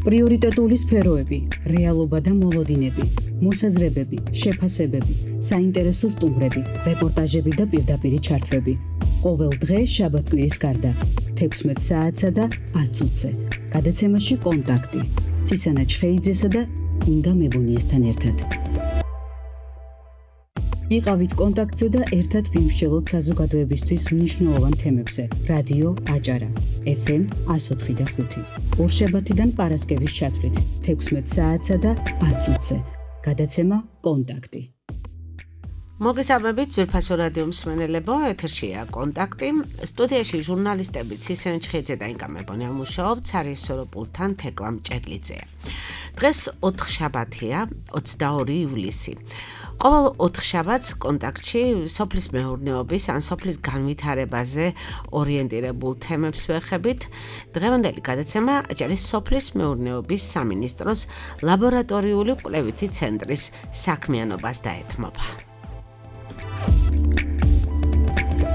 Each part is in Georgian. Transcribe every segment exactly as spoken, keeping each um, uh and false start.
პრიორიტეტული სფეროები, რეალობა და მოლოდინები, მოსაზრებები, შეფასებები, საინტერესო სტუმრები, რეპორტაჟები და პირდაპირი ჩართვები. ყოველ დღე შაბათ-კვირის გარდა, თექვსმეტ საათსა და ათ წუთზე. გადაცემაში კონტაქტი. ცისანა ჩხეიძესა და ინგა მებუნიესთან ერთად. იყავით კონტაქტზე და ერთად ვიმსჯელოთ საზოგადოებისთვის მნიშვნელოვან თემებზე. რადიო აჭარა, ეფ ემ ას ოთხი და ხუთი. ორშაბათიდან პარასკევის ჩათვლით, თექვსმეტ საათსა და ათ წუთზე. გადაცემა კონტაქტი. მოგესალმებით ძვირფასო რადიო მსმენელებო, ეთერშია კონტაქტი. სტუდიაში ჟურნალისტები ცისანა ჩხეიძე და ინგა მებუნია მუშაობთ, სარეჟისორო პულტთან თეკლა მჭედლიძეა. დღეს ოთხშაბათია, ოცდაორი ივლისი. ყოველ ოთხშაბათს კონტაქტში სოფლის მეურნეობის ან სოფლის განვითარებაზე ორიენტირებულ თემებს ვეხებით. დღევანდელი გადაცემა აჭარის სოფლის მეურნეობის სამინისტროს ლაბორატორიული კვლევითი ცენტრის საქმიანობას დაეთმობა.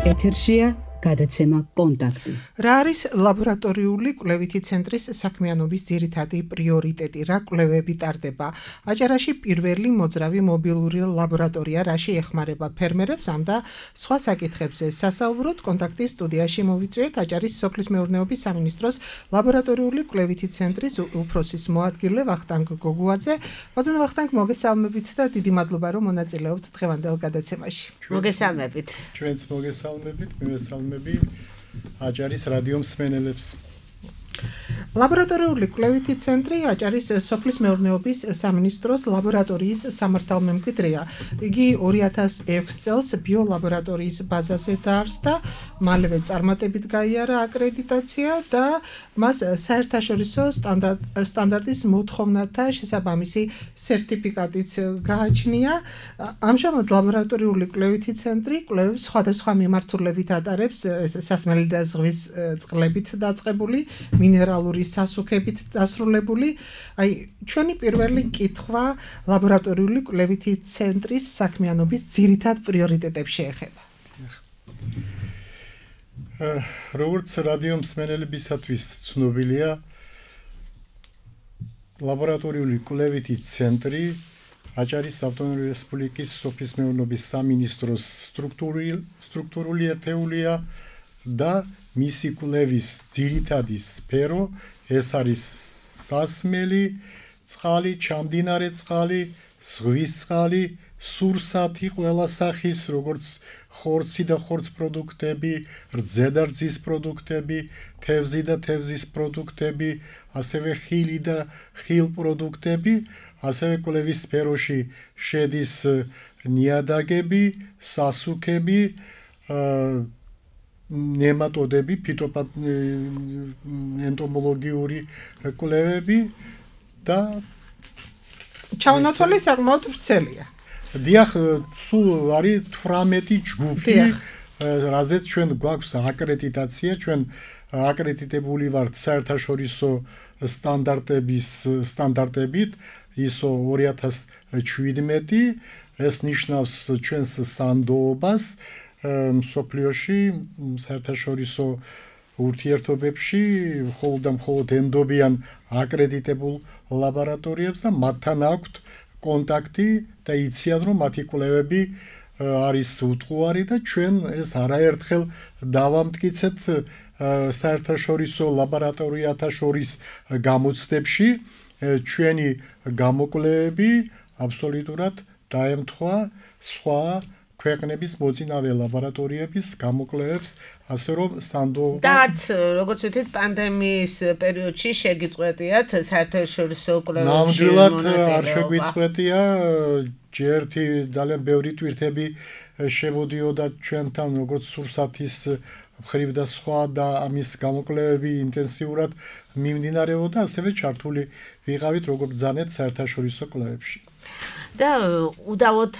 ეთერშია გადაცემა კონტაქტი. რა არის ლაბორატორიული კვლევითი ცენტრის საქმიანობის ძირითადი პრიორიტეტი, რა კვლევები ტარდება? აჭარაში პირველი მოძრავი მობილური ლაბორატორია, რაში ეხმარება ფერმერებს ამ და სხვა საკითხებზე სასაუბროთ კონტაქტის სტუდიაში მოვიწვიეთ აჭარის სოფლის მეურნეობის სამინისტროს ლაბორატორიული კვლევითი ცენტრის უფროსის მოადგილე ვახტანგ გოგუაძე. ბატონო ვახტანგ, მოგესალმებით და დიდი მადლობა რომ მონაწილეობთ დღევანდელ გადაცემაში. მოგესალმებით. ჩვენც მოგესალმებით, მივესალმებით აჭარის რადიო მსმენელებს. ლაბორატორიული კვლევითი ცენტრი აჭარის სოფლის მეურნეობის სამინისტროს ლაბორატორიის სამართალმემკვიდრეა. იგი ორი ათას ექვსი წელს ბიოლაბორატორიის ბაზაზე დაარსდა, მალევე წარმატებით გაიარა აკრედიტაცია და მას საერთაშორისო სტანდარტის მოთხოვნათა შესაბამისი სერტიფიკატიც გააჩნია. ამჟამად ლაბორატორიული კვლევითი ცენტრი კვლევებს სხვადასხვა მიმართულებით ატარებს, სასმელი და ზღვის წყლებით დაწყებული, მინერალური სასუქებით დასრულებული. აი, ჩვენი პირველი კითხვა ლაბორატორიული კვლევითი ცენტრის საქმიანობის ძირითად პრიორიტეტებს შეეხება. როგორც რადიო მსმენელებისათვის ცნობილია, ლაბორატორიული კვლევითი ცენტრი აჭარის ავტონომიური რესპუბლიკის სოფლის მეურნეობის სამინისტროს სტრუქტურული ერთეულია და მისი კვლევის ძირითადი სფერო ეს არის სასმელი წყალი, ჩამდინარე წყალი, ზღვის წყალი, სურსათი ყველა სახის, როგორც ხორცი და ხორც პროდუქტები, რძე და რძის პროდუქტები, თევზი და თევზის პროდუქტები, ასევე ხილი და ხილ პროდუქტები, ასევე კვლევის სფეროში შედის ნიადაგები, სასუქები, ნემატოდები, ფიტოპათენტომოლოგიური კვლევები და ჩაუნაცვლელი საკმაოდ ვრცელია. დიახ, სულ არის თვრამეტი ჯგუფი, რაზეც ჩვენ გვაქვს აკრედიტაცია, ჩვენ აკრედიტებული ვართ საერთაშორისო სტანდარტების სტანდარტებით, ისო ორი ათას შვიდმეტი, ეს ნიშნავს ჩვენს სანდოობას მსოფლიოში საერთაშორისო ურთიერთობებში, მხოლოდ და მხოლოდ ენდობიან აკრედიტებულ ლაბორატორიებს და მათთან აქვთ კონტაქტი და იციან, რომ მათი კვლევები არის უტყუარი და ჩვენ ეს არაერთხელ დავამტკიცეთ საერთაშორისო ლაბორატორიათა შორის გამოცდებში. ჩვენი გამოკვლევები აბსოლუტურად დაემთხვა სხვა ქვეყნების მოწინავე ლაბორატორიების გამოკვლევებს, ასე რომ სანდოობა და არც როგორც ვთქვით, პანდემიის პერიოდში შეგიწყვეტიათ საერთაშორისო კვლევებში ნამდვილად მონაწილეობა. არ შეგვიწყვეტია, ჯერთი ძალიან ბევრი ტვირთები შემოდიოდა ჩვენთან, როგორც სურსათის მხრივ და სხვა და ამის გამოკვლევები ინტენსიურად მიმდინარეობდა, ასევე ჩართული ვიყავით როგორც ბრძანეთ საერთაშორისო კვლევებში. და უდავოდ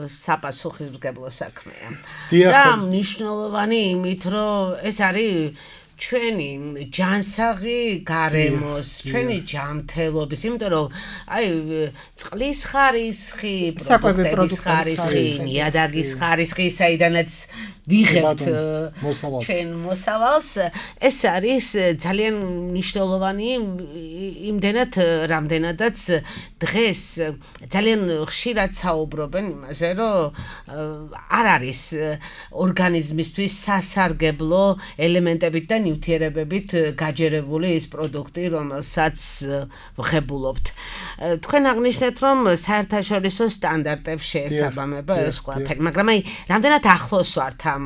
საპასუხისმგებლო საქმეა. დიახ. და მნიშვნელოვანი იმით, რომ ეს არის ჩვენი ჯანსაღი გარემოს, ჩვენი ჯანმრთელობის, იმიტომ რომ აი წყლის ხარისხი, პროდუქტების ხარისხი, ნიადაგის ხარისხი, საიდანაც ვიღებთ ჩვენ მოსავალს, ეს არის ძალიან მნიშვნელოვანი იმდენად, რამდენადაც დღეს ძალიან ხშირად საუბრობენ იმაზე, რომ არ არის ორგანიზმისთვის სასარგებლო ელემენტებით და ნივთიერებებით გაჯერებული ის პროდუქტი, რომელსაც ვღებულობთ. თქვენ აღნიშნეთ, რომ საერთაშორისო სტანდარტებს შეესაბამება ეს ყველაფერი, მაგრამ აი რამდენად ახლოს ვართ ამ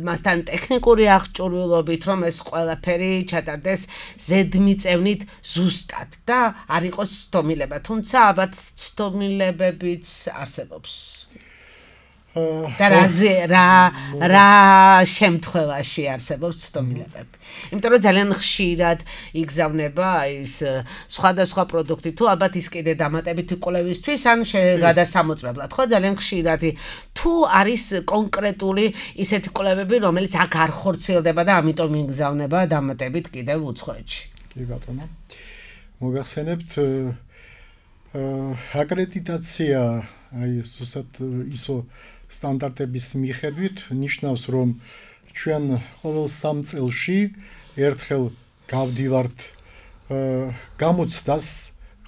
მასთან ტექნიკური აღჭურვილობით, რომ ეს ყველაფერი ჩატარდეს ზედმიწევნით ზუსტად და არ იყოს ცდომილება, თუმცა ალბათ ცდომილებებიც არსებობს. და რაზე რა რა შემთხვევაში არსებობს ცდომილებები. იმიტომ რომ ძალიან ხშირად იგზავნება ის სხვადასხვა პროდუქტი თუ ალბათ ის კიდე დამატებითი კვლევისთვის ან გადასამოწმებლად, ხო, ძალიან ხშირად თუ არის კონკრეტული ისეთი კვლევები, რომელიც აქ არ ხორციელდება და ამიტომ იგზავნება დამატებით კიდევ უცხოეთში. კი ბატონო. მოგახსენებთ აკრედიტაცია აი ზუსტად ისო სტანდარტების მიხედვით ნიშნავს, რომ ჩვენ ყოველ სამ წელში ერთხელ გავდივართ გამოცდას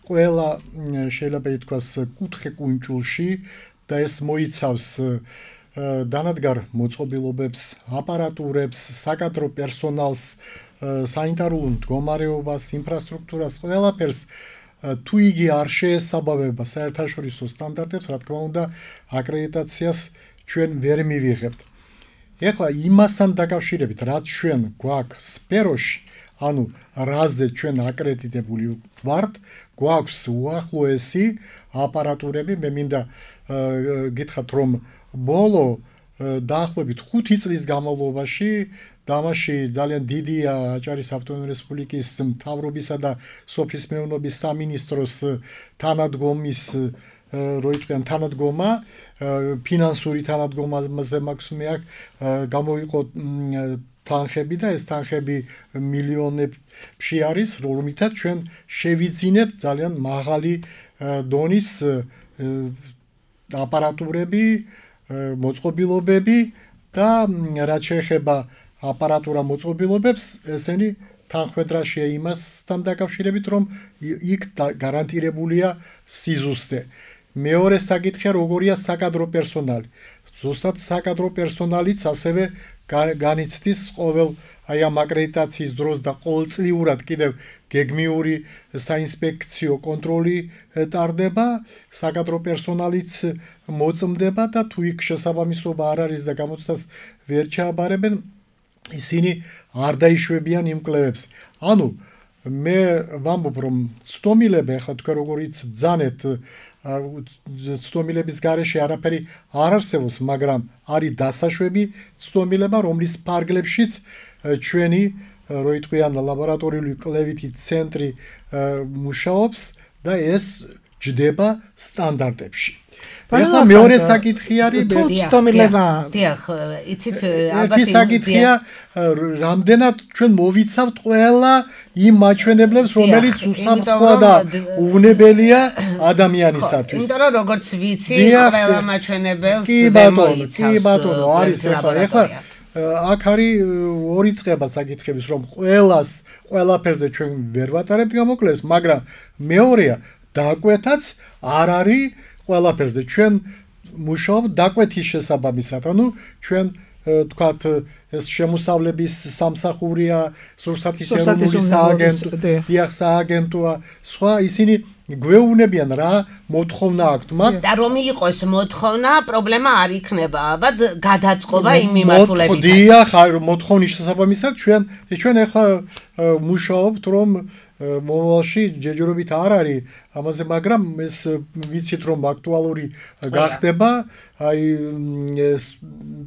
ყველა შეიძლება ითქვას კუთხე კუნჭულში და ეს მოიცავს დანადგარ მოწყობილობებს, აპარატურებს, საკადრო პერსონალს, სანიტარულ მდგომარეობას, ინფრასტრუქტურას, ყველაფერს თუ იგი არ შეესაბამება საერთაშორისო სტანდარტებს, რა თქმა უნდა, აკრედიტაციას ჩვენ ვერ მივიღებთ. ეხლა იმასთან დაკავშირებით, რაც ჩვენ გვაქვს სფეროში, ანუ რაზე ჩვენ აკრედიტებული ვართ, გვაქვს უახლოესი აპარატურები, მე მინდა გითხრათ, რომ ბოლო დაახლოებით ხუთი წლის განმავლობაში დამაში ძალიან დიდია აჭარის ავტონომიური რესპუბლიკის მთავრობისა და სოფლის მეურნეობის სამინისტროს თანადგომის რო ითქვიან თანადგომა, ფინანსური თანადგომაზე მაქვს მე აქ გამოიყო თანხები და ეს თანხები მილიონებში არის, რომლითაც ჩვენ შევიძინეთ ძალიან მაღალი დონის აპარატურები, მოწყობილობები და რაც შეეხება აპარატურა მოწყობილობებს, ესენი თანხმედრაშია იმასთან დაკავშირებით, რომ იქ გარანტირებულია სიზუსტე. მეორე საკითხია, როგორია საკადრო პერსონალი. ზუსტად საკადრო პერსონალიც ასევე განიცდის ყოველ აი ამ აკრედიტაციის დროს და ყოველწლიურად კიდევ გეგმიური საინსპექციო კონტროლი ტარდება, საკადრო პერსონალიც მოწმდება და თუ იქ შესაბამისობა არ არის და გამოცდას ვერ ჩააბარებენ, ისინი არ დაიშვებიან იმ კვლევებს. ანუ მე ვამბობ, რომ ცდომილება, ახლა თქვენ როგორიც ბძანეთ, ცდომილების გარეშე არაფერი არ არსებობს, მაგრამ არის დასაშვები ცდომილება, რომლის ფარგლებშიც ჩვენი რო იტყვიან ლაბორატორიული კვლევითი ცენტრი მუშაობს და ეს ჯდება სტანდარტებში. ეხლა მეორე საკითხი არის ცდომილება. დიახ, იცით ალბათ ის საკითხია, რამდენად ჩვენ მოვიცავთ ყველა იმ მაჩვენებლებს, რომელიც უსაფრთხოა და უვნებელია ადამიანისათვის. იმიტომ რომ როგორც ვიცი, ყველა მაჩვენებელს ვერ მოიცავს. კი ბატონო, არის ეხლა ეხლა აქ არის ორი წყება საკითხების, რომ ყველას ყველაფერზე ჩვენ ვერ ვატარებთ გამოკვლევებს, მაგრამ მეორეა დაკვეთაც არ არის ყველაფერზე. ჩვენ მუშაობთ დაკვეთის შესაბამისად, ანუ ჩვენ თქვათ ეს შემოსავლების სამსახურია, სურსათის ეროვნული სააგენტო, დიახ სააგენტოა, სხვა ისინი გვეუბნებიან რა მოთხოვნა აქვთ მათ და რომ იყოს მოთხოვნა, პრობლემა არ იქნება, ალბათ გადაწყობა იმ მიმართულებით. დიახ, მოთხოვნის შესაბამისად ჩვენ ჩვენ ახლა მუშაობთ, რომ მომავალში ჯერჯერობით არ არის ამაზე, მაგრამ ეს ვიცით, რომ აქტუალური გახდება აი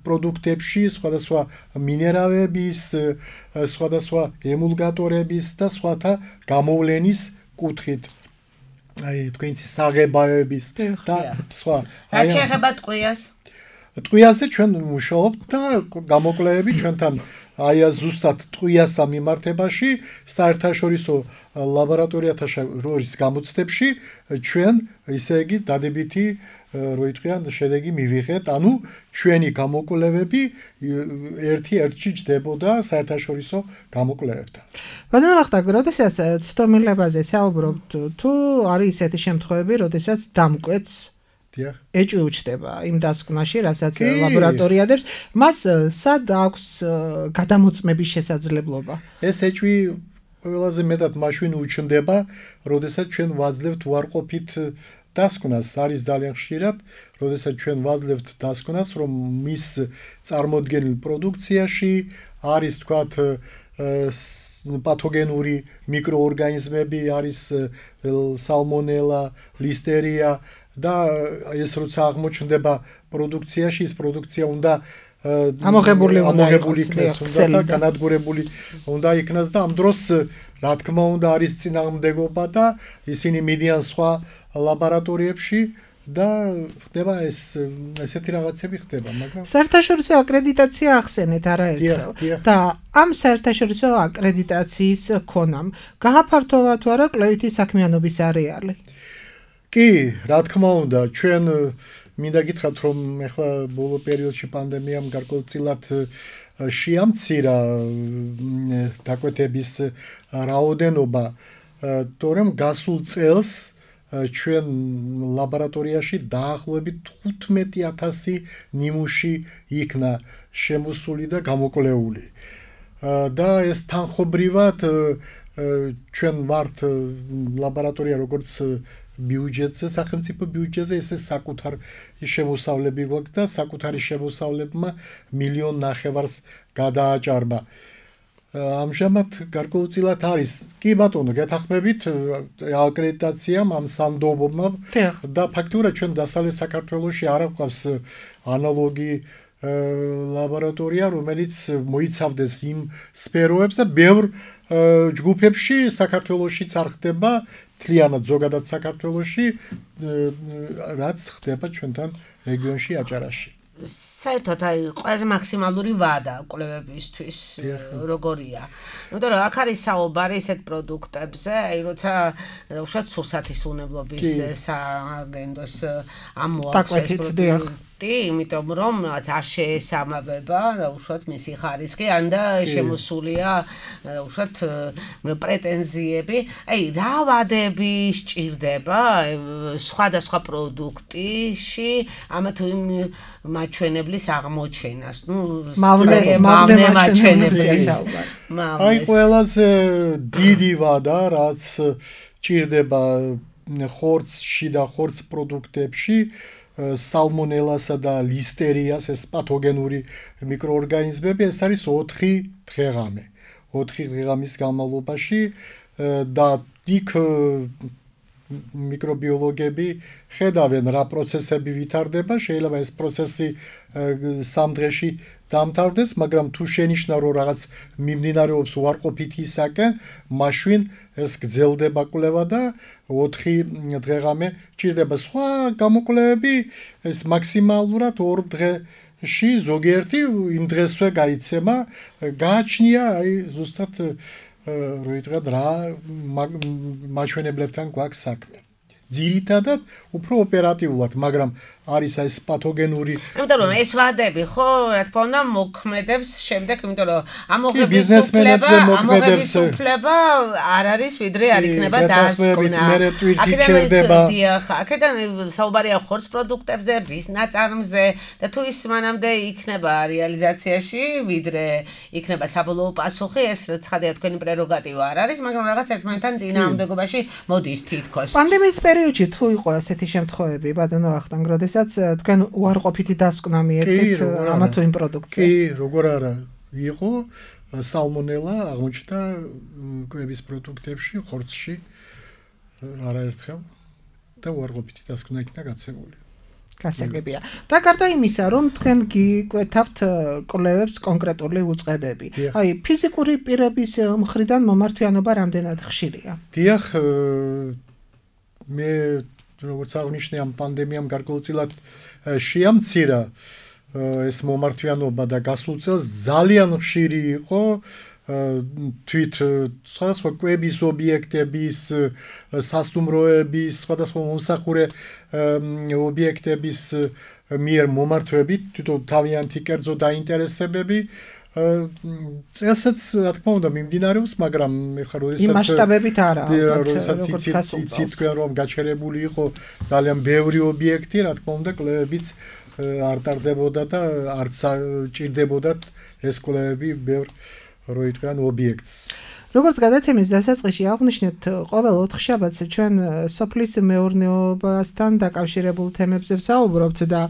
პროდუქტებში, სხვადასხვა მინერალების, სხვადასხვა ემულგატორების და სხვათა გამოვლენის კუთხით. აი თქვენიცი საღებავების და სხვა. რა შეეხება ტყვიას? ტყვიაზე ჩვენ მუშაობთ და გამოკვლევები ჩვენთან აი ზუსტად ტყვიასთან მიმართებაში საერთაშორისო ლაბორატორიათა შორის გამოცდებში ჩვენ ისე იგი დადებითი როიტყვიან შედეგი მივიღეთ, ანუ ჩვენი გამოკვლევები ერთი-ერთში ჯდებოდა საერთაშორისო გამოკვლევებთან. ბატონო ვახტანგ, როდესაც ცდომილებაზე საუბრობთ, თუ არის ისეთი შემთხვევები, როდესაც დამკვეთს ეჭვი უჩდება იმ დასკვნაში, რასაც ლაბორატორია დებს, მას სად აქვს გადამოწმების შესაძლებლობა? ეს ეჭვი ყველაზე მეტად მაშინ უჩნდება, როდესაც ჩვენ ვაძლევთ უარყოფით დასკვნას. არის ძალიან ხშირად, როდესაც ჩვენ ვაძლევთ დასკვნას, რომ მის წარმოდგენილ პროდუქციაში არის თქვათ პათოგენური მიკროორგანიზმები, არის სალმონელა, ლისტერია და ეს როცა აღმოჩნდება პროდუქციაში, ეს პროდუქცია უნდა ამოღებული ამოღებული იქნას და განადგურებული უნდა იქნას და ამ დროს რა თქმა უნდა არის წინააღმდეგობა და ისინი მიდიან სხვა ლაბორატორიებში და ხდება ეს ესეთი რაღაცები ხდება, მაგრამ საერთაშორისო აკრედიტაცია ახსენეთ არაერთხელ და ამ საერთაშორისო აკრედიტაციის ქონამ გააფართოვა თუ არა კვლევითი საქმიანობის არეალი? კი, რა თქმა უნდა, ჩვენ მინდა გითხრათ, რომ ეხლა ბოლო პერიოდში პანდემიამ გარკვეულწილად შეამცირა დაკვეთების რაოდენობა, თორემ გასულ წელს ჩვენ ლაბორატორიაში დაახლოებით თხუთმეტი ათასი ნიმუში იქნა შემოსული და გამოკვლეული. და ეს თანხობრივად ჩვენ ვართ ლაბორატორია როგორც ბიუჯეტზე, სახელმწიფო ბიუჯეტზე, ესე საკუთარ შემოსავლები გვაქვს და საკუთარი შემოსავლებმა მილიონ ნახევარს გადააჭარბა. ამჟამად გარკვეულწილად არის, კი ბატონო, გეთახმებით აკრედიტაციამ ამ სანდობმა და ფაქტურად ჩვენ დასავლეთ საქართველოში არ აქვს ანალოგი ლაბორატორია, რომელიც მოიცავდეს იმ სფეროებს და ბევრ ჯგუფებში საქართველოშიც არ ხდება, თლიანად ზოგადად საქართველოში, რაც ხდება ჩვენთან რეგიონში აჭარაში. საერთოდ აი ყველაზე მაქსიმალური ვადა კვლევებისთვის როგორია? იმიტომ რომ აქ არის საუბარი ისეთ პროდუქტებზე, აი როცა უშუალოდ სურსათის უნებლობის სააგენტოს ამოაქვს ეს პროდუქტი, იმიტომ რომ რაც არ შეესაბამება უშუალოდ მისი ხარისხი, ან და შემოსულია უშუალოდ პრეტენზიები. აი რა ვადები სჭირდება სხვადასხვა პროდუქტში ამა თუ იმ მაჩვენებლის აღმოჩენას, ნუ მავნე მაჩვენებლის. აი ყველაზე დიდი ვადა, რაც ჭირდება ხორცში და ხორც პროდუქტებში, სალმონელასა და ლისტერიას, ეს პათოგენური მიკროორგანიზმები, ეს არის ოთხი დღეღამე. ოთხი დღეღამის განმავლობაში და იქ მიკრობიოლოგები ხედავენ რა პროცესები ვითარდება, შეიძლება ეს პროცესი სამ დღეში დამთავრდეს, მაგრამ თუ შენიშნა რომ რაღაც მიმდინარეობს უარყოფითისაკენ, მაშინ ეს გრძელდება კვლევა და ოთხი დღეღამე ჭირდება. სხვა გამოკვლევები ეს მაქსიმალურად ორ დღეში ზოგიერთი იმ დღესვე გაიცემა, გააჩნია აი ზუსტად როიტყვათ რა მაჩვენებლებთან გვაქვს საქმე. ძირითადად უფრო ოპერატიულად, მაგრამ არის ეს პათოგენური. იმიტომ რომ ეს ვადები ხო, რა თქმა უნდა, მოქმედებს შემდეგ, იმიტომ რომ ამოღების უფლება არ არის, ვიდრე არ იქნება დასკვნა. აქედან საუბარია ხორცს პროდუქტებზე, რძის ნაწარმზე და თუ ის მანამდე იქნება რეალიზაციაში, ვიდრე იქნება საბოლოო პასუხი, ეს ცხადია თქვენი პრეროგატივა არ არის, მაგრამ რაღაც ერთმანეთთან წინააღმდეგობაში მოდის თითქოს. პანდემიის პერიოდში თუ იყო ასეთი შემთხვევები, ბატონო ვახტანგ, როდესაც თქვენ უარყოფითი დასკვნა მიეცეთ ამა თუ იმ პროდუქციას? კი, როგორ არა, იყო სალმონელა აღმოჩნდა კვების პროდუქტებში, ხორცში არაერთხელ და უარყოფითი დასკვნა იქნა გაცემული. გასაგებია. და გარდა იმისა, რომ თქვენ გიკვეთავთ კვლევებს კონკრეტული უწყებები. აი, ფიზიკური პირების მხრიდან მომართვიანობა რამდენად ხშირია? დიახ, მე როგორც აღნიშნე ამ პანდემიამ გარკვეულწილად შეამცირა ეს მომართვიანობა და გასულ წელს ძალიან ხშირი იყო თვით სხვადასხვა კვების ობიექტების, სასტუმროების, სხვადასხვა მომსახურე ობიექტების მიერ მომართვებით, თვითონ თავიანთი კერძო დაინტერესებები წელსაც რა თქმა უნდა მიმდინარეობს, მაგრამ ეხლა როდესაც იმ მასშტაბებით არა, როდესაც იცით თქვენ რომ გაჩერებული იყო ძალიან ბევრი ობიექტი, რა თქმა უნდა კვლევებიც არ ტარდებოდა და არც ჭირდებოდათ ეს კვლევები ბევრ როიტყვიან ობიექტს. როგორც გადაცემის დასაწყისში აღვნიშნეთ, ყოველ ოთხშაბათს ჩვენ სოფლის მეურნეობასთან დაკავშირებულ თემებზე ვსაუბრობთ და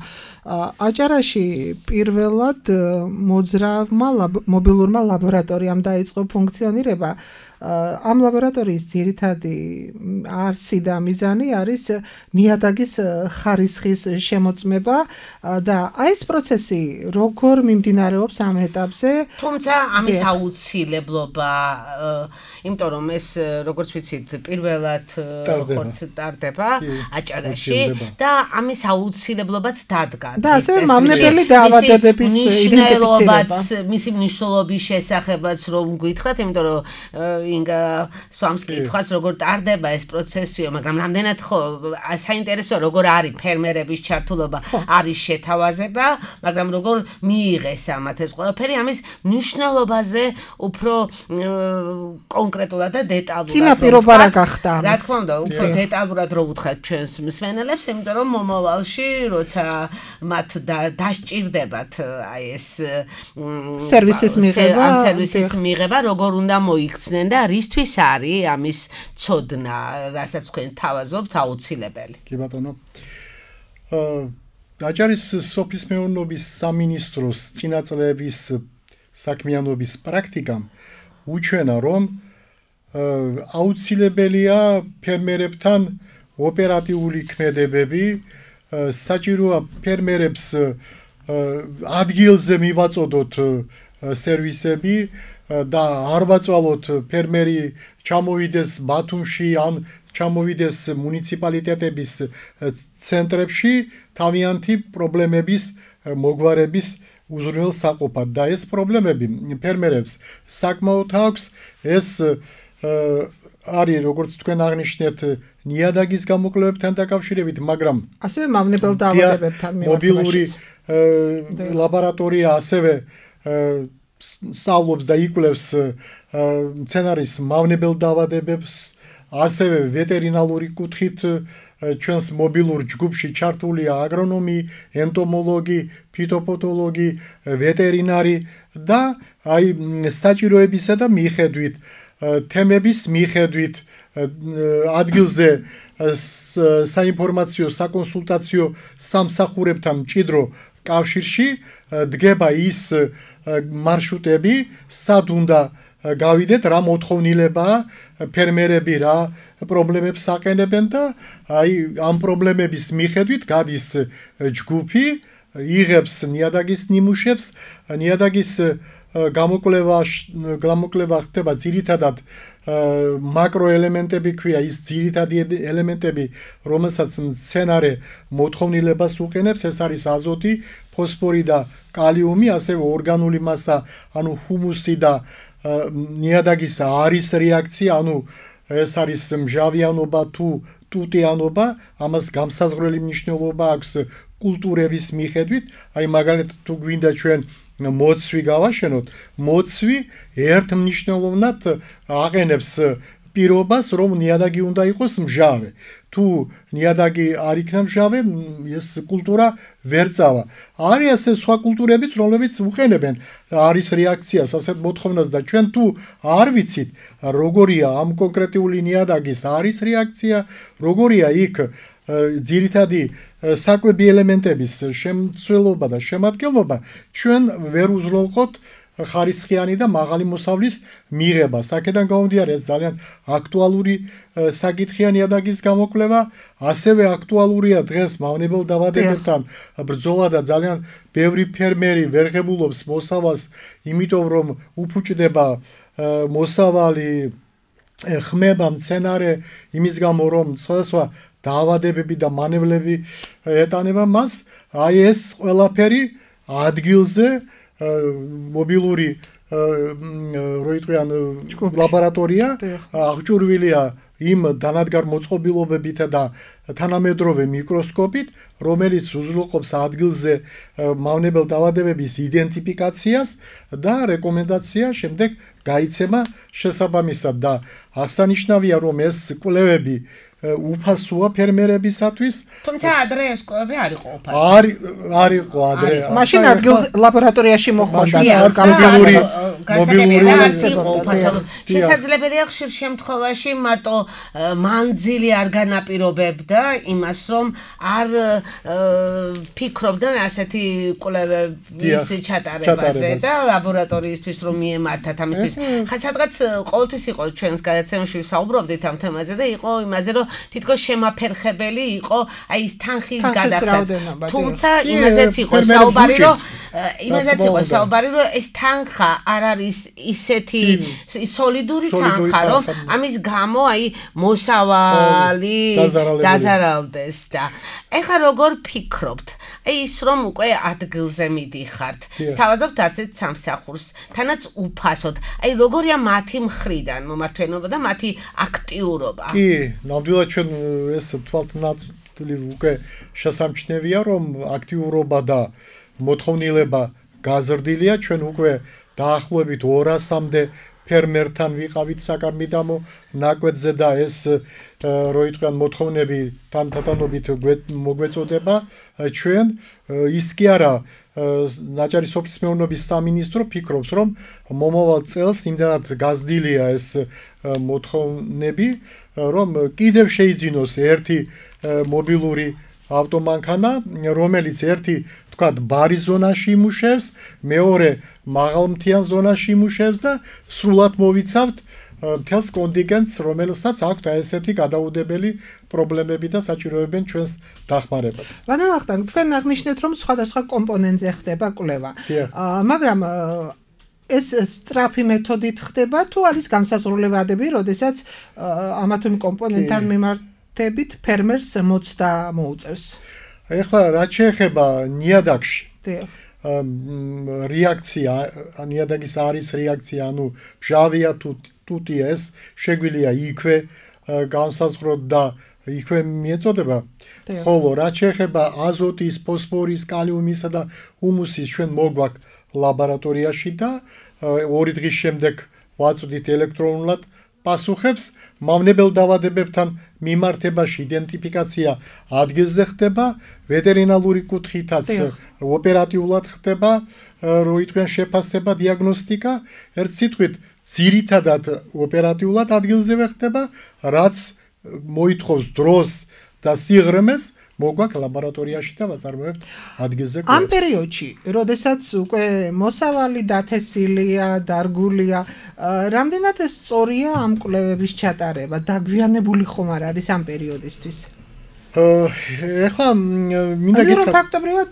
აჭარაში პირველად მოძრავმა მობილურმა ლაბორატორიამ დაიწყო ფუნქციონირება. ამ ლაბორატორიის ძირითადი არსი და მიზანი არის ნიადაგის ხარისხის შემოწმება და აი ეს პროცესი როგორ მიმდინარეობს ამ ეტაპზე? თუმცა ამის აუცილებლობა, იმიტომ რომ ეს როგორც ვიცით, პირველად ხორცს ტარდება აჭარაში და ამის აუცილებლობაც დადგა. და ასევე მავნებელი დაავადებების იდენტიფიცირება. მისი მნიშვნელობის შესახებაც რომ გითხრათ, იმიტომ რომ ინგა სვამს კითხვას როგორ ტარდება ეს პროცესიო, მაგრამ რამდენად ხო საინტერესოა როგორ არის ფერმერების ჩართულობა, არის შეთავაზება, მაგრამ როგორ მიიღეს ამათ ეს ყველაფერი, ამის მნიშვნელობაზე უფრო კონკრეტულად და დეტალურად. წინაპირობა რა გახდა ამის? რა თქმა უნდა, უფრო დეტალურად რო ვუთხრათ ჩვენს მსმენელებს, იმიტომ რომ მომავალში როცა მათ დასჭირდებათ აი ეს სერვისის მიღება, ამ სერვისის მიღება, როგორ უნდა მოიქცნენ და რისთვის არის ამის ცოდნა, რასაც თქვენ თავაზობთ აუცილებელი. კი ბატონო. აჭარის სოფლის მეურნეობის სამინისტროს წინაწლების საქმიანობის პრაქტიკამ უჩვენა, რომ აუცილებელია ფერმერებთან ოპერატიული ქმედებები, საჭიროა ფერმერებს ადგილზე მივაწოდოთ სერვისები და არ ვაწვალოთ ფერმერი ჩამოვიდეს ბათუმში ან ჩამოვიდეს მუნიციპალიტეტების ცენტრებში თავიანთი პრობლემების მოგვარების უზრუნველსაყოფად და ეს პრობლემები ფერმერებს საკმაოდ აქვს. ეს არის როგორც თქვენ აღნიშნეთ ნიადაგის გამოკვლევებთან დაკავშირებით, მაგრამ ასევე მავნებელ დაავადებებთან მობილური ლაბორატორია ასევე სწავლობს და იკვლევს მცენარის მავნებელ დაავადებებს, ასევე ვეტერინალური კუთხით ჩვენს მობილურ ჯგუფში ჩართულია აგრონომი, ენტომოლოგი, ფიტოპათოლოგი, ვეტერინარი და აი საჭიროებისა და მიხედვით თემების მიხედვით ადგილზე საინფორმაციო საკონსულტაციო სამსახურებთან მჭიდრო კავშირში დგება ის მარშრუტები, სად უნდა გავიდეთ, რა მოთხოვნილებაა ფერმერები რა პრობლემებს აყენებენ და აი ამ პრობლემების მიხედვით გადის ჯგუფი, იღებს ნიადაგის ნიმუშებს, ნიადაგის გამოკვლევა გამოკვლევა ხდება ძირითადად მაკროელემენტები ქვია, ის ძირითადი ელემენტები, რომელსაც მცენარე მოთხოვნილებას უყენებს, ეს არის აზოტი, ფოსფორი და კალიუმი, ასევე ორგანული მასა, ანუ ჰუმუსი და ნიადაგის არის რეაქცია, ანუ ეს არის მჟავიანობა თუ ტუტიანობა, ამას გამსაზღვრელი მნიშვნელობა აქვს კულტურების მიხედვით, აი მაგალითად თუ გვინდა ჩვენ მოცვი გავაშენოთ, მოცვი ერთ მნიშვნელოვნად აყენებს პირობას, რომ ნიადაგი უნდა იყოს მჟავე. თუ ნიადაგი არ იქნა მჟავე, ეს კულტურა ვერ წავა. არის ასე სხვა კულტურებიც, რომლებიც უყენებენ არის რეაქციას, ასეთ მოთხოვნას და ჩვენ თუ არ ვიცით, როგორია ამ კონკრეტული ნიადაგის არის რეაქცია, როგორია იქ ძირითადი საკვები ელემენტების შემცველობა და შემადგენლობა, ჩვენ ვერ უზრუნველყოთ ხარისხიანი და მაღალი მოსავლის მიღებას. აქედან გამომდინარე, ეს ძალიან აქტუალური საკითხია ნიადაგის გამოკვლევა, ასევე აქტუალურია დღეს მავნებელ დაავადებებთან ბრძოლა და ძალიან ბევრი ფერმერი ვერ ღებულობს მოსავალს, იმიტომ რომ უფუჭდება მოსავალი, ხმება მცენარე იმის გამო, რომ სხვადასხვა დაავადებები და მანევლები ეტანება მას. აი ეს ყველაფერი ადგილზე მობილური რო იტყვიან ლაბორატორია აღჭურვილია იმ დანადგარ მოწყობილობებით და თანამედროვე მიკროსკოპით, რომელიც უზრუნველყოფს ადგილზე მავნებელ დაავადებების იდენტიფიკაციას და რეკომენდაცია შემდეგ გაიცემა შესაბამისად და აღსანიშნავია, რომ ეს კვლევები უფასოა ფერმერებისათვის. თუმცა ადრე ეს კვლევები არ იყო უფასო. არ არ იყო ადრე. მაშინ ადგილ ლაბორატორიაში მოხდა გამზელური მობილური უფასო. შესაძლებელია ხშირ შემთხვევაში მარტო მანძილი არ განაპირობებდა იმას, რომ არ ფიქრობდნენ ასეთი კვლევების ჩატარებაზე და ლაბორატორიისთვის რომ მიემართათ ამისთვის. ხა სადღაც ყოველთვის იყო ჩვენს გადაცემაში ვსაუბრობდით ამ თემაზე და იყო იმაზე, რომ თითქოს შემაფერხებელი იყო აი ის თანხის გადახდა. თუმცა იმაზეც იყო საუბარი, რომ იმაზეც იყო საუბარი, რომ ეს თანხა არ არის ისეთი სოლიდური თანხა, რომ ამის გამო აი მოსავალი დაზარალდეს და ეხლა როგორ ფიქრობთ? აი ის რომ უკვე ადგილზე მიდიხართ, სთავაზობთ ასეთ სამსახურს, თანაც უფასოდ. აი როგორია მათი მხრიდან მომართვენობა და მათი აქტიურობა? კი, ნამდვილად ჩვენ ეს თვალთნაწვდილი უკვე შესამჩნევია, რომ აქტიურობა და მოთხოვნილება გაზრდილია, ჩვენ უკვე დაახლოებით ორასამდე ფერმერთან ვიყავით საკარმიდამო ნაკვეთზე და ეს რო იტყვიან მოთხოვნები თანდათანობით მოგვეწოდება ჩვენ ის კი არა ნაჭარი სოფლის მეურნეობის სამინისტრო ფიქრობს რომ მომავალ წელს იმდანად გაზრდილია ეს მოთხოვნები რომ კიდევ შეიძინოს ერთი მობილური ავტომანქანა რომელიც ერთი თქვათ ბარის ზონაში იმუშევს, მეორე მაღალმთიან ზონაში იმუშევს და სრულად მოვიცავთ მთელს კონტინგენტს, რომელსაც აქვს ესეთი გადაუდებელი პრობლემები და საჭიროებენ ჩვენს დახმარებას. ბატონო ვახტანგ, თქვენ აღნიშნეთ, რომ სხვადასხვა კომპონენტზე ხდება კვლევა. მაგრამ ეს სწრაფი მეთოდით ხდება თუ არის განსაზღვრულებადები, როდესაც ამა თუ იმ კომპონენტთან მიმართებით ფერმერს მოცდა მოუწევს? ეხლა რაც შეეხება ნიადაგში რეაქცია, ნიადაგის არის რეაქცია, ანუ მჟავია თუ ტუტია ეს შეგვიძლია იქვე განსაზღვროთ და იქვე მიეწოდება. ხოლო რაც შეეხება აზოტის, ფოსფორის, კალიუმისა და ჰუმუსის ჩვენ მოგვაქვს ლაბორატორიაში და ორი დღის შემდეგ ვაწვდით ელექტრონულად პასუხებს მავნებელ დაავადებებთან მიმართებაში იდენტიფიკაცია ადგილზე ხდება, ვეტერინალური კუთხითაც ოპერატიულად ხდება, რო იტყვიან შეფასება, დიაგნოსტიკა, ერთ სიტყვით ძირითადად ოპერატიულად ადგილზევე ხდება, რაც მოითხოვს დროს და სიღრმეს მოგვაქვს ლაბორატორიაში და ვაწარმოებთ ადგილზე. ამ პერიოდში, როდესაც უკვე მოსავალი დათესილია, დარგულია, რამდენად სწორია ამ კვლევების ჩატარება? დაგვიანებული ხომ არ არის ამ პერიოდისთვის? ეხლა მინდა გითხრათ, რომ ფაქტობრივად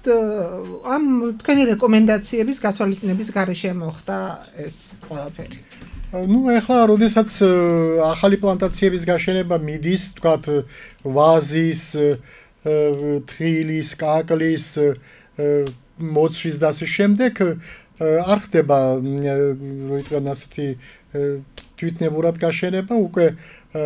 ამ თქვენი რეკომენდაციების გათვალისწინების გარეშე მოხდა ეს ყველაფერი. ну ეხლა როდესაც ახალი პლანტაციების გაშენება მიდის, თქვათ ვაზის თხილის, კაკლის, მოცვის და ასე შემდეგ არ ხდება რო იტყვიან ასეთი თვითნებურად გაშენება, უკვე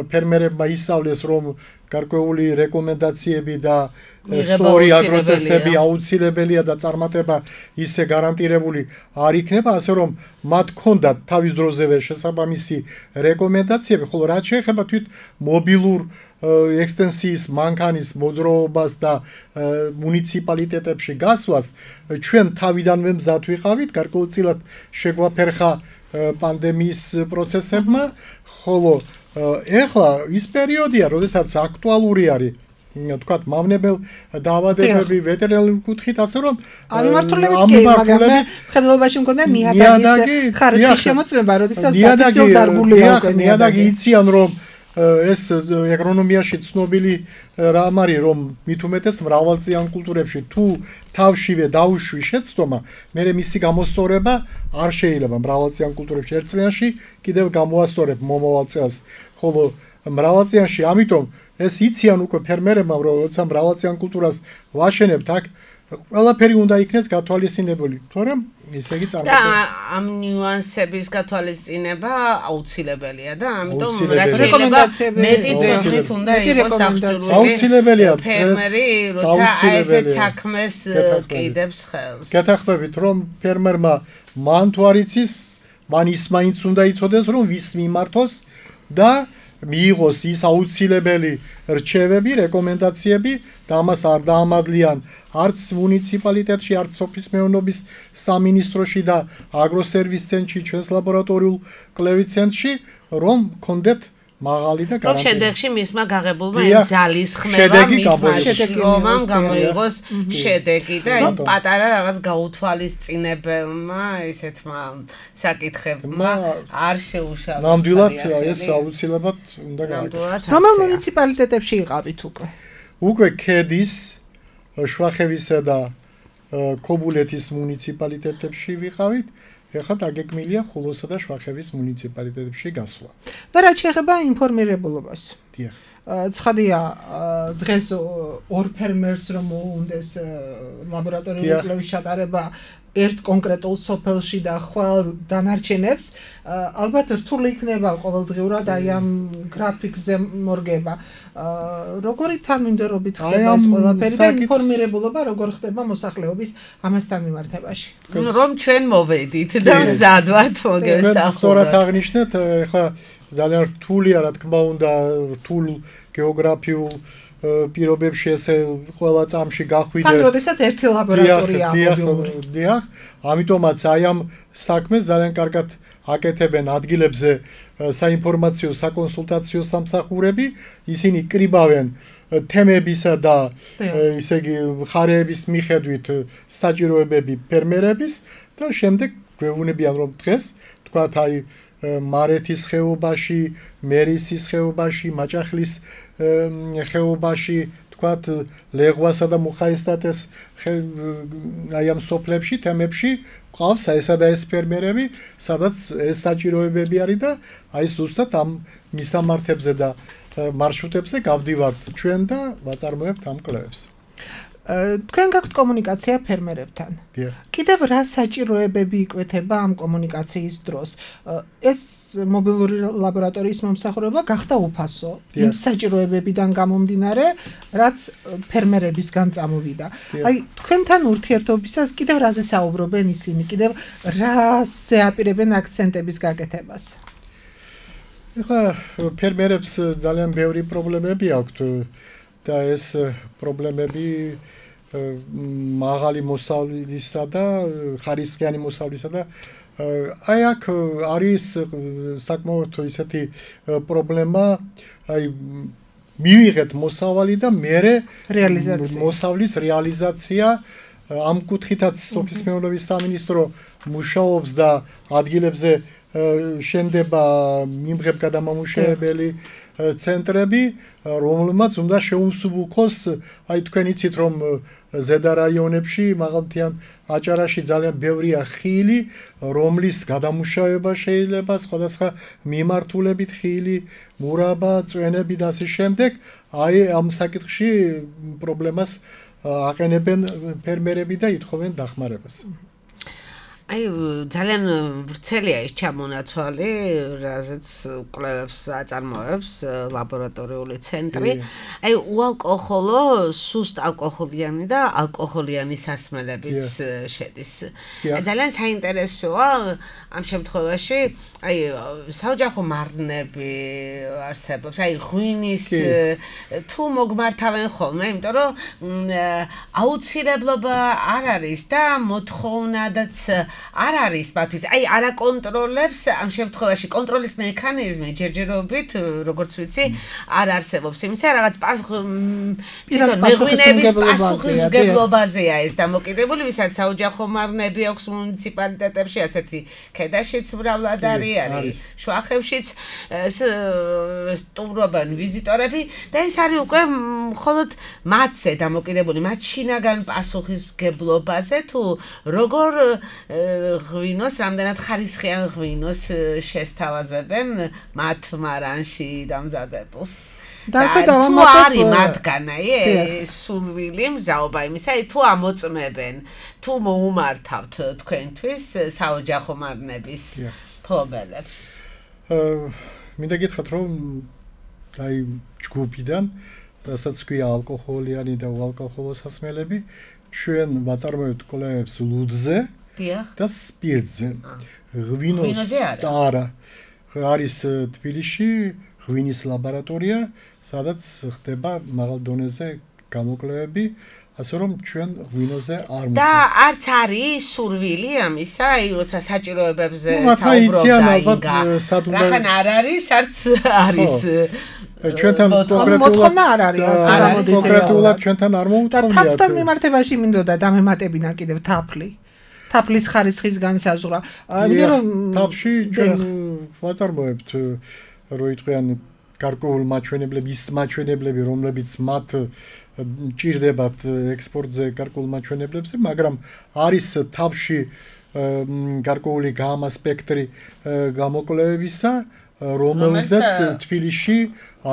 ფერმერებმა ისწავლეს რომ გარკვეული რეკომენდაციები და სწორი აგროცესები აუცილებელია და წარმატება ისე გარანტირებული არ იქნება, ასე რომ მათ ჰქონდათ თავის დროზევე შესაბამისი რეკომენდაციები, ხოლო რაც შეეხება თვით მობილურ ექსტენსიის მანქანის მოძრაობას და მუნიციპალიტეტებში გასვლას, ჩვენ თავიდანვე მზად ვიყავით, გარკვეულწილად შეგვაფერხა პანდემიის პროცესებმა, ხოლო ეხლა ის პერიოდია, როდესაც აქტუალური არის თქვათ მავნებელ დაავადებები ვეტერინარული კუთხით, ასე რომ ამ მიმართულებით კი, მაგრამ ხელობაში მქონდა ნიადაგის ხარისხის შემოწმება, როდესაც დათესილ დარგულია უკვე ნიადაგი იციან რომ ეს აგრონომიაში ცნობილი რამ არის რომ მით უმეტეს მრავალწლიან კულტურებში თუ თავშივე დაუშვი შეცდომა, მერე მისი გამოსწორება არ შეიძლება მრავალწლიან კულტურებში ერთ წლიანში კიდევ გამოასწორებ მომავალ წელს, ხოლო მრავალწლიანში ამიტომ ეს იციან უკვე ფერმერებმა რომ როცა მრავალწლიან კულტურას ვაშენებთ აქ ყველაფერი უნდა იქნეს გათვალისწინებული, თორემ ესე იგი და ამ ნიუანსების გათვალისწინება აუცილებელია და ამიტომ რა შეიძლება მეტი ძნით უნდა იყოს აღჭურვილი აუცილებელია ფერმერი როცა ესეთ საქმეს ყიდებს ხელს გეთახმებით რომ ფერმერმა მან თუ არ იცის მან ის მაინც უნდა იცოდეს რომ ვის მიმართოს და მიიღოს ის აუცილებელი რჩევები, რეკომენდაციები და ამას არ დაამადლიან არც მუნიციპალიტეტში, არც სოფლის მეურნეობის სამინისტროში და აგროსერვის ცენტრში, ჩვენს ლაბორატორიულ კვლევით ცენტრში, რომ კონდეთ მაღალი და გარანტია. რომ შემდეგში მისმა გაღებულმა იმ ძალის ხმება მისმა შრომამ გამოიღოს შედეგი და იმ პატარა რაღაც გაუთვალისწინებელმა ესეთმა საკითხებმა არ შეუშალოს. ნამდვილად ეს აუცილებლად უნდა გააკეთოს. რომელ მუნიციპალიტეტებში იყავით უკვე? უკვე ქედის, შვახევისა და ქობულეთის მუნიციპალიტეტებში ვიყავით. ეხლა დაგეგმილია ხულოსა და შვახევის მუნიციპალიტეტებში გასვლა. და რაც შეეხება ინფორმირებულობას. დიახ. ცხადია, დღეს ორ ფერმერს რომ უნდეს ლაბორატორიული კვლევის ჩატარება ერთ კონკრეტულ სოფელში და ხვალ დანარჩენებს, ალბათ რთული იქნება ყოველდღიურად აი ამ გრაფიკზე მორგება. როგორი თანმიმდევრობით ხდება ეს ყველაფერი და ინფორმირებულობა როგორ ხდება მოსახლეობის ამასთან მიმართებაში? რომ ჩვენ მოვედით და მზად ვართ მოგესახუროთ. სწორად აღნიშნეთ, ეხლა ძალიან რთულია რა თქმა უნდა რთულ გეოგრაფიულ პირობებში ესე ყველა წამში გახვიდე. თან როდესაც ერთი ლაბორატორია მობილური. დიახ, ამიტომაც აი ამ საქმეს ძალიან კარგად აკეთებენ ადგილებზე საინფორმაციო საკონსულტაციო სამსახურები, ისინი კრიბავენ თემებისა და ისე იგი მხარეების მიხედვით საჭიროებები ფერმერების და შემდეგ გვეუბნებიან რომ დღეს თქვათ აი მარეთის ხეობაში, მერისის ხეობაში, მაჭახლის ხეობაში, თქვათ ლეღვასა და მუხაისტატეს აი ამ სოფლებში, თემებში ყავს ესა და ეს ფერმერები, სადაც ეს საჭიროებები არის და აი ზუსტად ამ მისამართებზე და მარშრუტებზე გავდივართ ჩვენ და ვაწარმოებთ ამ კვლევებს. თქვენ გაქვთ კომუნიკაცია ფერმერებთან. კიდევ რა საჭიროებები იკვეთება ამ კომუნიკაციის დროს? ეს მობილური ლაბორატორიის მომსახურება გახდა უფასო იმ საჭიროებებიდან გამომდინარე, რაც ფერმერებისგან წამოვიდა. აი, თქვენთან ურთიერთობისას კიდევ რაზე საუბრობენ ისინი? კიდევ რაზე აპირებენ აქცენტების გაკეთებას? ეხლა ფერმერებს ძალიან ბევრი პრობლემები აქვთ და ეს პრობლემები მაღალი მოსავლისა და ხარისხიანი მოსავლისა და აი აქ არის საკმაოდ ისეთი პრობლემა აი მივიღეთ მოსავალი და მერე რეალიზაცია მოსავლის რეალიზაცია ამ კუთხითაც სოფლის მეურნეობის სამინისტრო მუშაობს და ადგილებზე შენდება მიმღებ გადამამუშავებელი ცენტრები, რომელმაც უნდა შეუმსუბუქოს, აი თქვენ იცით რომ ზედა რაიონებში, მაღალმთიან აჭარაში ძალიან ბევრია ხილი, რომლის გადამუშავება შეიძლება სხვადასხვა მიმართულებით ხილი, მურაბა, წვენები და ასე შემდეგ, აი ამ საკითხში პრობლემას აყენებენ ფერმერები და ითხოვენ დახმარებას. აი ძალიან ვრცელია ეს ჩამონათვალი, რაზეც კვლევებს აწარმოებს ლაბორატორიული ცენტრი. აი უალკოჰოლო, სუსტ ალკოჰოლიანი და ალკოჰოლიანი სასმელებიც შედის. ძალიან საინტერესოა ამ შემთხვევაში, აი საოჯახო მარნები არსებობს, აი ღვინის თუ მოგმართავენ ხოლმე, იმიტომ რომ აუცილებლობა არ არის და მოთხოვნადაც არ არის მათთვის, აი არ აკონტროლებს ამ შემთხვევაში კონტროლის მექანიზმი ჯერჯერობით, როგორც ვიცი, არ არსებობს. იმისა რაღაც მეღვინების პასუხისმგებლობაზეა ეს დამოკიდებული, ვისაც საოჯახო მარნები აქვს მუნიციპალიტეტებში, ასეთი ქედაშიც მრავლად არის, შვახევშიც სტუმრობენ ვიზიტორები და ეს არის უკვე მხოლოდ მათზე დამოკიდებული, მათ შინაგან პასუხისმგებლობაზე თუ როგორ ღვინოს, რამდენად ხარისხიან ღვინოს შესთავაზებენ მათ მარანში დამზადებულს. და თუ არის მათგანაი სურვილი მზაობა იმისა, თუ ამოწმებენ, თუ მოუმართავთ თქვენთვის საოჯახო მარნების ფლობელებს. მინდა გითხრათ, რომ აი ჯგუფიდან, რასაც ქვია ალკოჰოლიანი და უალკოჰოლო სასმელები, ჩვენ ვაწარმოებთ კვლევებს ლუდზე და სპირტზე. ღვინოს და არა. არის თბილისში ღვინის ლაბორატორია, სადაც ხდება მაღალ დონეზე გამოკვლევები, ასე რომ ჩვენ ღვინოზე არ და არც არის სურვილი ამისა, აი როცა საჭიროებებზე საუბრობდა იგა. რახან არ არის, არც არის. ჩვენთან მოთხოვნა არ არის, ასე გამოდის. კონკრეტულად ჩვენთან არ მოუთხოვიათ. და თაფთან მიმართებაში მინდოდა დამემატებინა კიდევ თაფლი. თაფლის ხარისხის განსაზღვრა. იმიტომ რომ თაფში ჩვენ ვაწარმოებთ რო იტყვიან გარკვეულ მაჩვენებლების მაჩვენებლები, რომლებიც მათ ჭირდებათ ექსპორტზე გარკვეულ მაჩვენებლებზე, მაგრამ არის თაფში გარკვეული გამა სპექტრი გამოკვლევებისა, რომელზეც თბილისში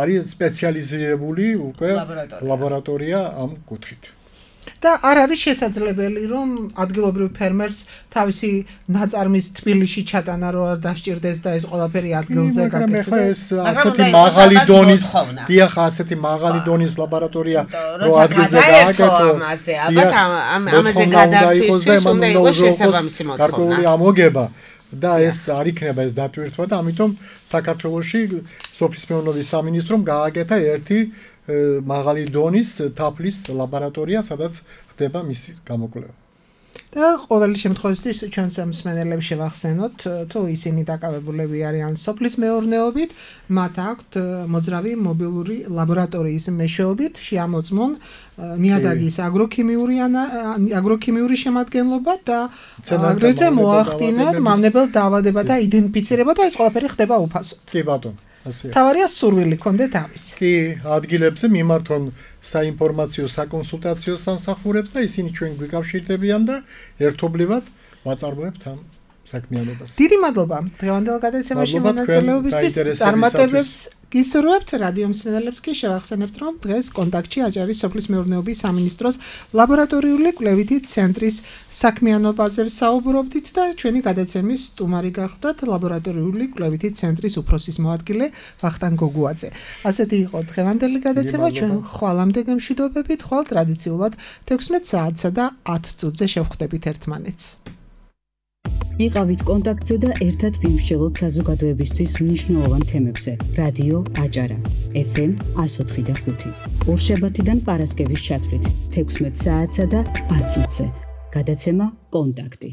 არის სპეციალიზირებული უკვე ლაბორატორია ამ კუთხით. და არ არის შესაძლებელი, რომ ადგილობრივ ფერმერს თავისი ნაწარმის თბილისში ჩატანა რო არ დასჭირდეს და ეს ყველაფერი ადგილზე გაკეთდეს. ასეთი მაღალი დონის, დიახ, ასეთი მაღალი დონის ლაბორატორია რო ადგილზე გააკეთო. ალბათ ამაზე გადაარჩისთვის უნდა იყოს შესაბამისი მოთხოვნა. გარკვეული ამოგება და ეს არ იქნება ეს დატვირთვა და ამიტომ საქართველოში სოფლის მეურნეობის სამინისტრომ გააკეთა ერთი მაღალი დონის თაფლის ლაბორატორია, სადაც ხდება მისი გამოკვლევა. და ყოველი შემთხვევაში ჩვენს მსმენელებს შევახსენოთ, თუ ისინი დაკავებულები არიან სოფლის მეურნეობით, მათ აქვთ მოძრავი მობილური ლაბორატორიის მეშვეობით შეამოწმონ ნიადაგის აგროქიმიური აგროქიმიური შემადგენლობა და აგრეთვე მოახდინონ მავნებელ დაავადებათა და იდენტიფიცირება და ეს ყველაფერი ხდება უფასოდ. კი ბატონო. თავარია სურვილი კონდეთ ამის. კი, ადგილებზე მიმართონ საინფორმაციო საკონსულტაციო სამსახურებს და ისინი ჩვენ გვიკავშირდებიან და ერთობლივად ვაწარმოებთ ამ საქმიანობას. დიდი მადლობა დღევანდელ გადაცემაში მონაწილეობისთვის. წარმატებებს გისურვებთ რადიო მსმენელებს კი შევახსენებთ, რომ დღეს კონტაქტში აჭარის სოფლის მეურნეობის სამინისტროს ლაბორატორიული კვლევითი ცენტრის საქმიანობაზე საუბრობდით და ჩვენი გადაცემის სტუმარი გახდათ ლაბორატორიული კვლევითი ცენტრის უფროსის მოადგილე ვახტანგ გოგუაძე. ასეთი იყო დღევანდელი გადაცემა, ჩვენ ხვალამდე გემშვიდობებით, ხვალ ტრადიციულად თექვსმეტ საათსა და ათ წუთზე შევხვდებით ერთმანეთს. იყავით კონტაქტზე და ერთად ვიმსჯელოთ საზოგადოებისთვის მნიშვნელოვან თემებზე. რადიო აჭარა ეფ ემ εκατო ოთხი და ხუთი. ორშაბათიდან პარასკევის ჩათვლით თექვსმეტ საათსა და ათ წუთზე. გადაცემა კონტაქტი.